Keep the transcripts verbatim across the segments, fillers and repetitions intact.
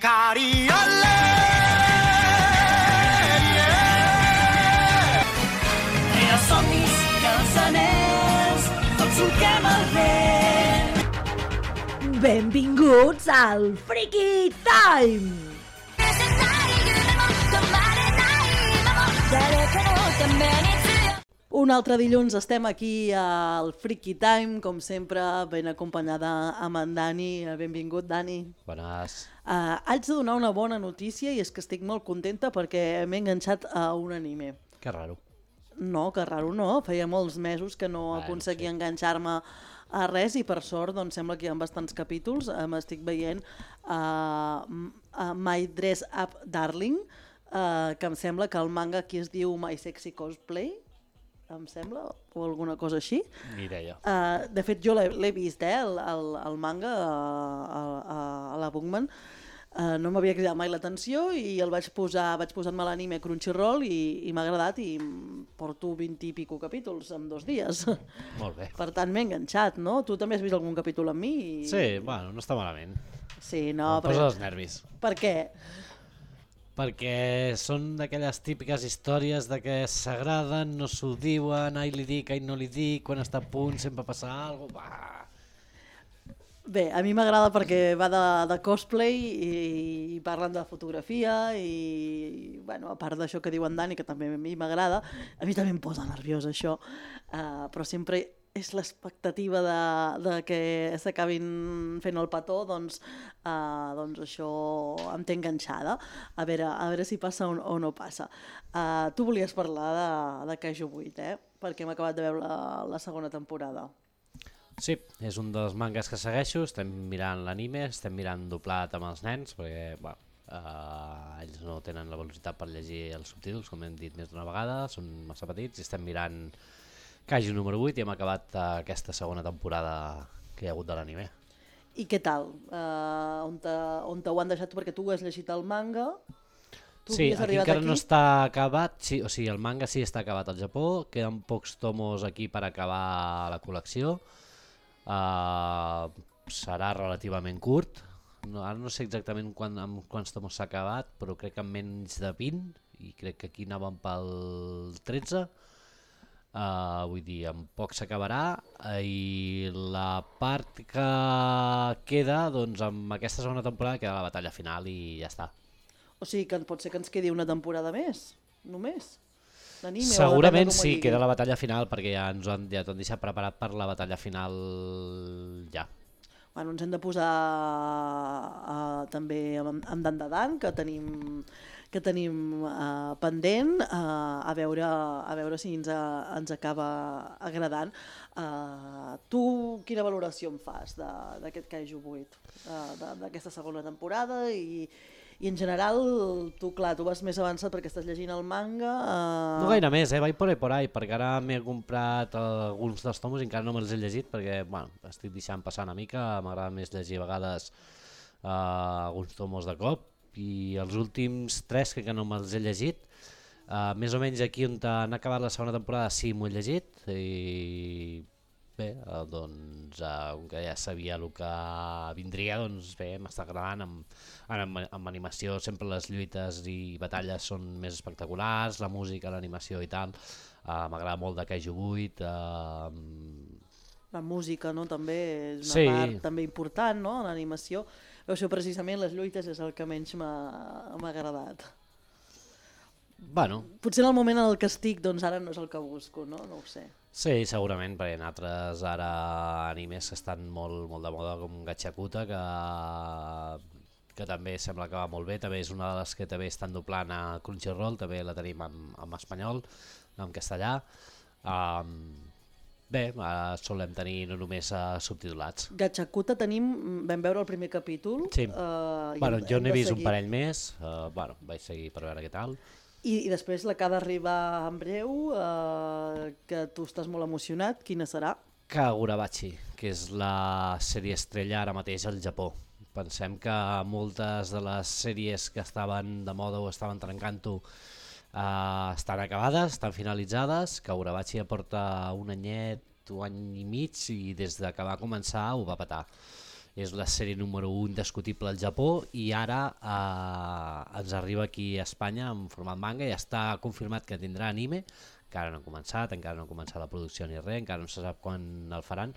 Cariole, yeah. I els somnis i els anells, tots solquem el vent. Benvinguts al Freaky Time! Un altre dilluns estem aquí al Freaky Time, com sempre, ben acompanyada amb en Dani. Benvingut, Dani. Bones. Uh, haig de donar una bona notícia i és que estic molt contenta perquè m'he enganxat a un anime. Que raro. No, que raro no. Feia molts mesos que no Bueno, aconseguia sí. enganxar-me a res i per sort doncs, sembla que hi ha bastants capítols. Uh, M'estic veient uh, uh, My Dress Up Darling, uh, que em sembla que el manga aquí es diu My Sexy Cosplay, em sembla, o alguna cosa així. Ni idea. Uh, de fet, jo l'he l'he vist, eh, el, el, el manga a, a, a la Bookman. Uh, no m'havia cridat mai l'atenció i el vaig posar, vaig posar-me l'anime Crunchyroll i, i m'ha agradat i porto vint i pico capítols en dos dies. Molt bé. Per tant, m'he enganxat, no? Tu també has vist algun capítol amb mi? I... Sí, bueno, no està malament. Sí, no, Em posa els nervis. Per què? Perquè són d'aquelles típiques històries de que s'agraden, no s'ho diuen, ai li dic, ai no li dic, quan està a punt sempre passa alguna cosa. Bé, a mi m'agrada perquè va de, de cosplay i, i parlen de fotografia i, bueno, a part d'això que diu en Dani, que també a mi m'agrada, a mi també em posa nerviosa això, uh, però sempre és l'expectativa de, de que s'acabin fent el petó, doncs, uh, doncs això em té enganxada, a veure, a veure si passa o, o no passa. Uh, tu volies parlar de, de Kaiju vuit, eh? Perquè hem acabat de veure la, la segona temporada. Sí, és un dels mangas que segueixo, estem mirant l'anime, estem mirant doblat amb els nens, perquè bueno, uh, ells no tenen la velocitat per llegir els subtítols, com hem dit més d'una vegada, són massa petits, i estem mirant Kaiju número vuit i hem acabat uh, aquesta segona temporada que hi ha hagut de l'anime. I què tal? Uh, on, te, on te ho han deixat? Perquè tu has llegit el manga, tu Sí, havies aquí arribat encara aquí? no està acabat, sí, o sigui, el manga sí està acabat al Japó, queden pocs tomos aquí per acabar la col·lecció, uh, serà relativament curt, no, ara no sé exactament quan, amb quants tomos s'ha acabat, però crec que amb menys de vint, i crec que aquí anàvem pel tretze, uh, vull dir, en poc s'acabarà, uh, i la part que queda, doncs amb aquesta segona temporada queda la batalla final i ja està. O sigui que pot ser que ens quedi una temporada més, només? D'anime, o Segurament depèn de com ho sí, digui. queda la batalla final perquè ja ens ho han, ja t'ho han deixat preparat per la batalla final ja. Bueno, ens hem de posar uh, també amb, amb Dan Dan, que tenim, que tenim uh, pendent, uh, a, veure, a veure si ens, uh, ens acaba agradant. Uh, tu quina valoració en fas d'aquest Kaiju vuit, uh, d'aquesta segona temporada i... I en general, tu, clar, tu vas més avançat perquè estàs llegint el manga... Uh... No gaire més, eh? Vaig por ahí por ahí, perquè ara m'he comprat alguns dels tomos i encara no me'ls he llegit perquè, bueno, estic deixant passar una mica, m'agrada més llegir a vegades uh, alguns tomos de cop i els últims tres que no me'ls he llegit, uh, més o menys aquí on han acabat la segona temporada sí m'ho he llegit i... Bé, eh, doncs, eh, com que ja sabia el que vindria, doncs bé, m'està agradant. Amb, amb, amb animació sempre les lluites i batalles són més espectaculars, la música, l'animació i tal. Eh, M'agrada molt de Kaiju vuit. Eh, La música, no?, també és una Sí. part també important, no?, l'animació. Això precisament les lluites és el que menys m'ha m'ha agradat. bueno, Potser en el moment en el que estic, doncs ara no és el que busco, no? No ho sé. sí, segurament, perquè en altres ara animes que estan molt, molt de moda com Gachakuta, que, que també sembla que va molt bé, també és una de les que també estan doblant a Crunchyroll, també la tenim en, en espanyol, en castellà. Um, bé, ara solem tenir no només uh, subtitulats. Gachakuta tenim, vam veure el primer capítol. Sí, uh, bueno, hem- jo hem n'he de vist un seguir. parell més, uh, bueno, vaig seguir per veure què tal. I, I després la que ha d'arribar en breu, uh, que tu estàs molt emocionat, quina serà? Kagurabachi, que és la sèrie estrella ara mateix al Japó. Pensem que moltes de les sèries que estaven de moda o estaven trencant-ho uh, estan acabades, estan finalitzades. Kagurabachi ja porta un anyet, un any i mig, i des de que va començar ho va petar. és la sèrie número u indiscutible al Japó i ara eh, ens arriba aquí a Espanya en format manga i està confirmat que tindrà anime, encara no ha començat, encara no ha començat la producció ni res, encara no se sap quan el faran,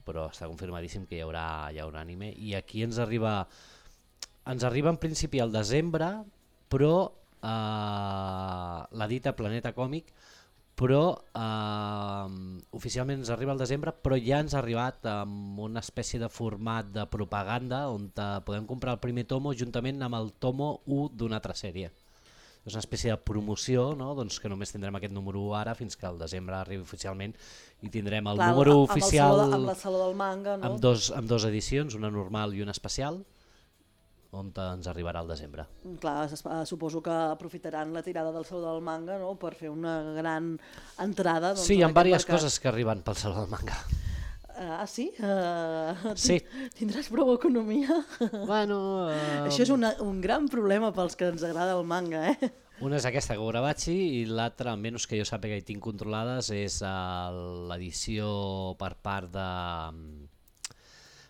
però està confirmadíssim que hi haurà, hi haurà anime i aquí ens arriba ens arriba en principi al desembre, però eh, l'edita Planeta Còmic, però eh, oficialment ens arriba al desembre, però ja ens ha arribat amb una espècie de format de propaganda on podem comprar el primer tomo juntament amb el tomo u d'una altra sèrie. És una espècie de promoció, no? Doncs que només tindrem aquest número u ara fins que al desembre arribi oficialment i tindrem el Clar, número amb oficial el saló, amb la saló del manga, no? amb, dos, amb dos edicions, una normal i una especial, on ens arribarà al desembre. Clar, suposo que aprofitaran la tirada del saló del manga, no?, per fer una gran entrada. Doncs, sí, hi ha diverses mercat. coses que arriben pel saló del manga. Ah, sí? Uh, sí. Tindràs prou economia? Bueno... Uh... Això és una, un gran problema pels que ens agrada el manga, eh? Una és aquesta, Kagurabachi, i l'altra, almenys que jo sàpiga i tinc controlades, és uh, l'edició per part de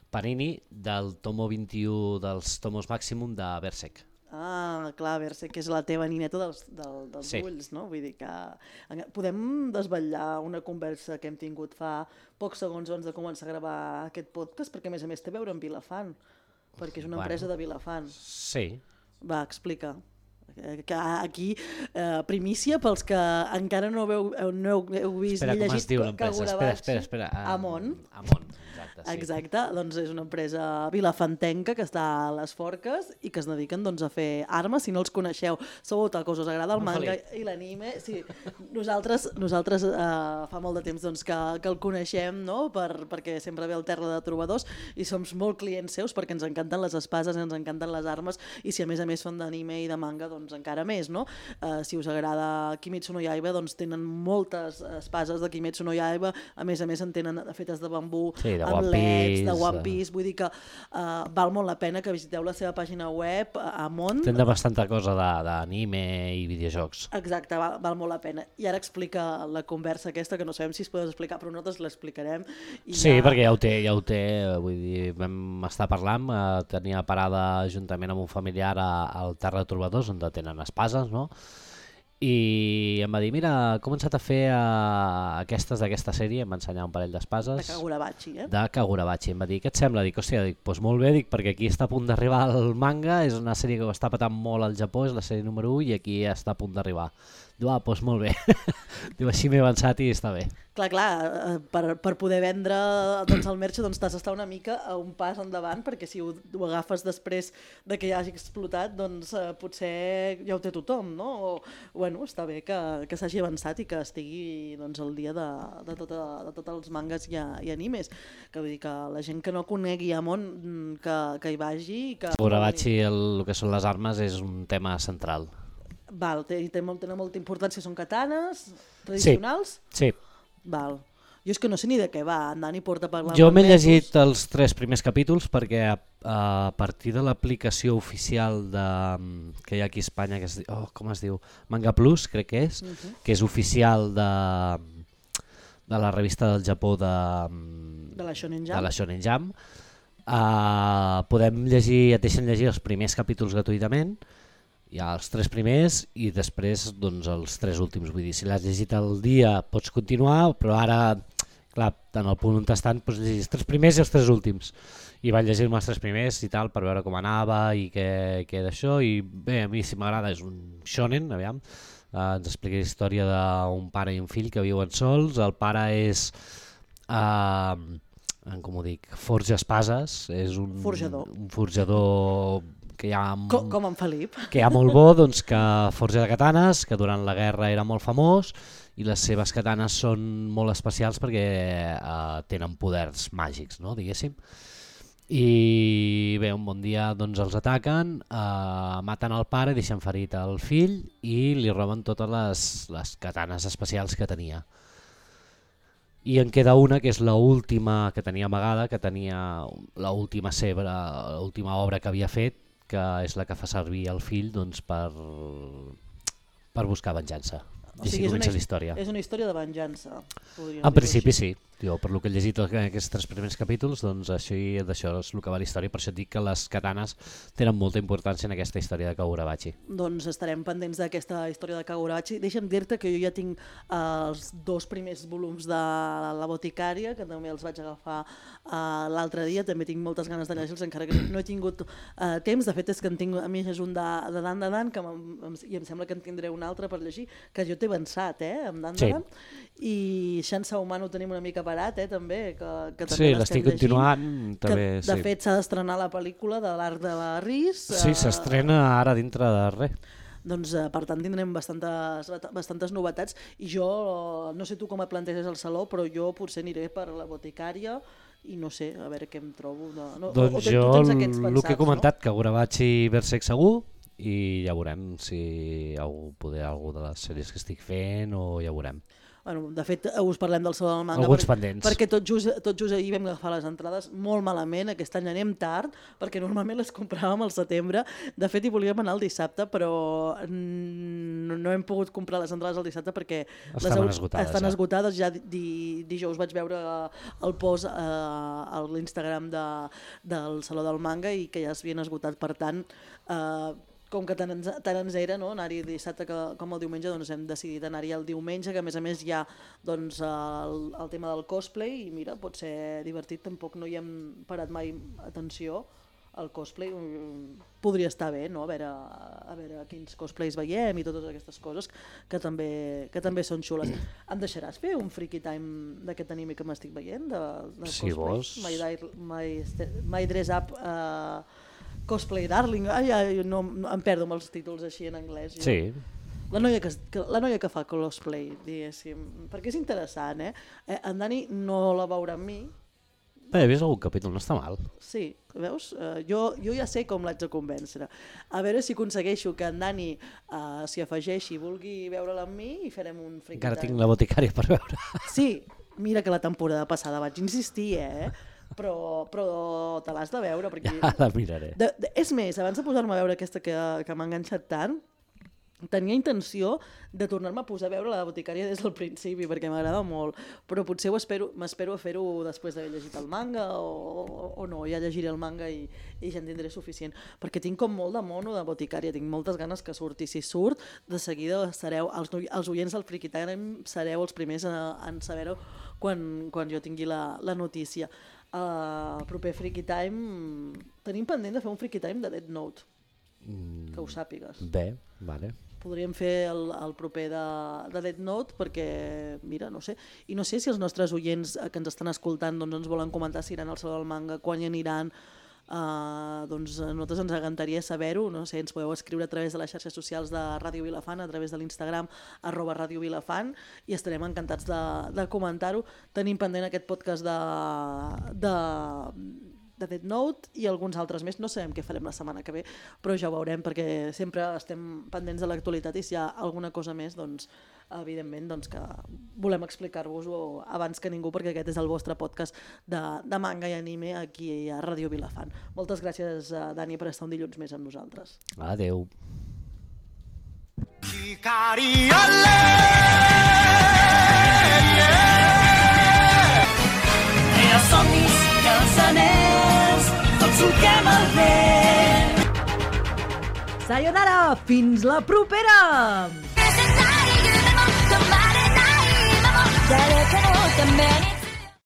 Panini del tomo vint-i-u dels tomos màximum de Berserk. Ah, clar, Berserk, que és la teva nineta dels, del, dels sí. ulls, no? Vull dir que podem desvetllar una conversa que hem tingut fa pocs segons abans de començar a gravar aquest podcast, perquè a més a més té a veure amb Vilafant, perquè és una bueno, empresa de Vilafant. Sí. Va, explica. Que aquí, eh, primícia pels que encara no heu, no heu vist espera, ni llegit com es diu l'empresa? Espera, espera, espera. Um, Amon. Amon, exacte. Sí. Exacte, doncs és una empresa vilafantenca que està a les Forques i que es dediquen doncs, a fer armes. Si no els coneixeu, segur que us agrada el manga i l'anime. Sí, nosaltres nosaltres eh, fa molt de temps doncs, que, que el coneixem, no? per, perquè sempre ve al Terra de Trobadors i som molt clients seus perquè ens encanten les espases, ens encanten les armes i si a més a més fan d'anime i de manga, doncs encara més, no? Eh, si us agrada Kimetsu no Yaiba, doncs tenen moltes espases de Kimetsu no Yaiba, a més a més en tenen fetes de bambú, sí, de amb One leds, Piece, de One Piece, vull dir que uh, val molt la pena que visiteu la seva pàgina web a Amon. Tenen bastanta cosa d'anime i videojocs. Exacte, val, val molt la pena. I ara explica la conversa aquesta, que no sabem si es pot explicar, però nosaltres l'explicarem. Sí, ja... perquè ja ho té, ja ho té, vull dir, vam estar parlant, eh, tenia parada juntament amb un familiar al Terra de Trobadors, on tenen espases, no? I em va dir, mira, he començat a fer uh, aquestes d'aquesta sèrie, em va ensenyar un parell d'espases. De Kagurabachi, eh? De Kagurabachi. Em va dir, què et sembla? Dic, hòstia, dic, doncs molt bé, dic, perquè aquí està a punt d'arribar el manga, és una sèrie que ho està patant molt al Japó, és la sèrie número u i aquí està a punt d'arribar. Diu, ah, doncs molt bé. Diu, així m'he avançat i està bé. Clar, clar, per, per poder vendre doncs, el merch doncs, t'has d'estar una mica a un pas endavant, perquè si ho, ho agafes després de que ja hagi explotat, doncs eh, potser ja ho té tothom, no? O, bueno, està bé que, que s'hagi avançat i que estigui doncs, al dia de, de, tota, de tots els mangas i, i animes. Que vull dir que la gent que no conegui Amon, que, que hi vagi... Que... Kagurabachi, el, el que són les armes, és un tema central. Val, té, té, molt, té molta importància, són katanes tradicionals? Sí, sí. Val. Jo és que no sé ni de què va, en Dani porta parlant... Jo m'he llegit els tres primers capítols perquè a, a partir de l'aplicació oficial de, que hi ha aquí a Espanya, que es, oh, com es diu? Manga Plus, crec que és, uh-huh. que és oficial de, de la revista del Japó de, de la Shonen Jump, de la Shonen Jump. Uh, podem llegir, et deixen llegir els primers capítols gratuïtament, hi ha els tres primers i després doncs, els tres últims. Vull dir, si l'has llegit al dia pots continuar, però ara, clar, en el punt on estan pots llegir els tres primers i els tres últims. I vaig llegir-me els tres primers i tal per veure com anava i què, què d'això. I bé, a mi si m'agrada és un shonen, aviam. Uh, ens explica la història d'un pare i un fill que viuen sols. El pare és... Uh, com ho dic? Forja espases. És un forjador. Un forjador... Que hi ha, com, com en Felip. Que hi ha molt bo, doncs, que forja de katanes, que durant la guerra era molt famós i les seves katanes són molt especials perquè eh, tenen poders màgics, no, diguéssim. I bé, un bon dia doncs, els ataquen, eh, maten el pare, deixen ferit el fill i li roben totes les, les katanes especials que tenia. I en queda una que és l'última que tenia amagada, que tenia l'última l'última obra que havia fet, que és la que fa servir el fill doncs, per, per buscar venjança. O sigui, és una, és una història de venjança. En principi sí. Jo, per lo que he llegit aquests tres primers capítols, doncs així, d'això és el que va la història, per això et dic que les katanes tenen molta importància en aquesta història de Kagurabachi. Doncs estarem pendents d'aquesta història de Kagurabachi. Deixa'm dir-te que jo ja tinc eh, els dos primers volums de La Boticària, que també els vaig agafar eh, l'altre dia, també tinc moltes ganes de llegir-los, encara que no he tingut eh, temps. De fet és que en tinc a mi és un de, de Dan de Dan, que em, i em sembla que en tindré un altre per llegir, que jo t'he avançat, eh, amb Dan de Sí. Dan. I Shansa Humano ho tenim una mica parat, eh, també, que, que també Sí, l'estem l'estic llegint, continuant. que També, de sí. fet s'ha d'estrenar la pel·lícula de l'Arc de la Ris. Sí, s'estrena ara dintre de res. Doncs eh, per tant tindrem bastantes, bastantes novetats i jo, eh, no sé tu com et planteges el saló, però jo potser aniré per La Boticària i no sé, a veure què em trobo. No, no, Doncs o, o jo tu tens aquests el pensats, que he comentat, no? Kagurabachi Berserk segur, i ja veurem si algú, poder algú de les sèries que estic fent o ja veurem. Bueno, de fet, us parlem del Saló del Manga Alguns perquè, pendents. perquè tot just, tot just ahir vam agafar les entrades molt malament, aquest any anem tard, perquè normalment les compràvem al setembre, de fet hi volíem anar el dissabte, però no, no hem pogut comprar les entrades el dissabte perquè Estaven les, esgotades, estan ja. esgotades, ja di, dijous vaig veure el post eh, a l'Instagram de, del Saló del Manga i que ja s'havien esgotat, per tant, eh, com que tant ens, tant ens era, no? Anar-hi dissabte que, com el diumenge, doncs hem decidit anar-hi el diumenge, que a més a més hi ha doncs, el, el tema del cosplay i mira, pot ser divertit, tampoc no hi hem parat mai atenció al cosplay, podria estar bé, no? a, veure, a veure quins cosplays veiem i totes aquestes coses que també, que també són xules. Em deixaràs fer un freaky time d'aquest anime que m'estic veient? De, de Si cosplay? vols. My, my, my Dress Up... Uh, Cosplay Darling, ai, ai, no, no, em perdo amb els títols així en anglès. Jo. Sí. La noia, que, que, la noia que fa cosplay, diguéssim, perquè és interessant, eh? eh en Dani no la veurà amb mi. Bé, he vist algun capítol, no està mal. Sí, veus? Uh, jo, jo ja sé com l'haig de convèncer. A veure si aconsegueixo que en Dani uh, s'hi afegeixi i vulgui veure-la amb mi i farem un freaky Encara time. tinc La Boticària per veure. Sí, mira que la temporada passada vaig insistir, eh? Però, però te l'has de veure. Perquè... Ja la miraré. De, de, és més, abans de posar-me a veure aquesta que, que m'ha enganxat tant, tenia intenció de tornar-me a posar a veure La Boticària des del principi, perquè m'agrada molt, però potser m'espero a fer-ho després d'haver llegit el manga o, o, o no, ja llegiré el manga i, i ja en tindré suficient, perquè tinc com molt de mono de Boticària, tinc moltes ganes que surti. Si surt, de seguida sereu, els, els oients del Freaky Time sereu els primers a, en saber-ho quan, quan jo tingui la, la notícia. Uh, proper Freaky Time tenim pendent de fer un Freaky Time de Death Note, Mm, que ho sàpigues. bé, vale. Podríem fer el, el proper de, de Death Note perquè, mira, no sé, i no sé si els nostres oients que ens estan escoltant doncs ens volen comentar si iran al Saló del Manga, quan hi aniran. Uh, doncs a nosaltres ens encantaria saber-ho, no sé, ens podeu escriure a través de les xarxes socials de Ràdio Vilafant, a través de l'Instagram arroba Ràdio Vilafant, i estarem encantats de, de comentar-ho. Tenim pendent aquest podcast de, de, de Death Note i alguns altres més, no sabem què farem la setmana que ve, però ja ho veurem perquè sempre estem pendents de l'actualitat i si hi ha alguna cosa més, doncs evidentment doncs, que volem explicar-vos-ho abans que ningú, perquè aquest és el vostre podcast de, de manga i anime aquí a Ràdio Vilafant. Moltes gràcies, Dani, per estar un dilluns més amb nosaltres. Adeu. Els somnis i els anells, tots solquem el vent. Sayonara! Fins la propera! 誰かのために